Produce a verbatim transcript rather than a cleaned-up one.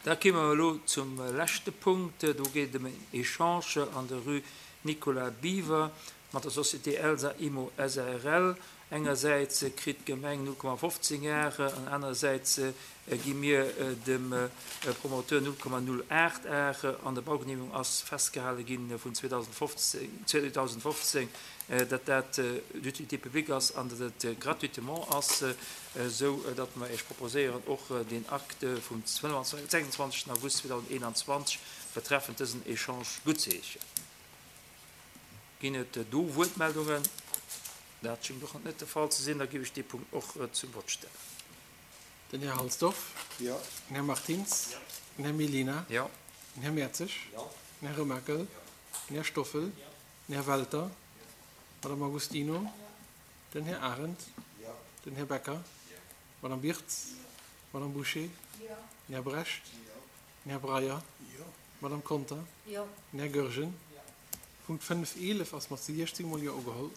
Da komme mer elo zum leschte Punkt. Do geet et ëm en Echange an der Rue Nicolas Biver mat der Société Elsa Immo S A R L. Engersäits kritt d'Gemeng null Komma fofzéng Are an anerersäits gi mir dem Promoteur null Komma null aacht Are. An der Baugenehmegung ass festgehale gi vun zweedausendfofzén, datt dat d'utilité publique ass an datt et gratuitement ass, esou datt mer Iech proposéieren, och den Akt vum sechsundzwanzegsten August zweedausendeenanzwanzeg betreffend dësen Echange guttzeheeschen. Ginn et do Wuertmeldungen? Dat schéngt och net de Fall ze sinn. Da géif ech dee Punkt och zum Vott stellen. Den Här Halsdorf. Jo. Den Här Martins. Den Här Mellina. Jo. Den Här Mertzig. Den Här Remakel. Den Här Stoffel. Den Här Welter. Madame Agostino. Den Här Arendt. Den Här Becker. Madame Birtz. Madame Bouché. Den Här Brecht. Den Här Breyer. Madame Conter. Den Här Goergen. Punkt fënnef eelef ass mat siechzéng Mol Jo ugeholl.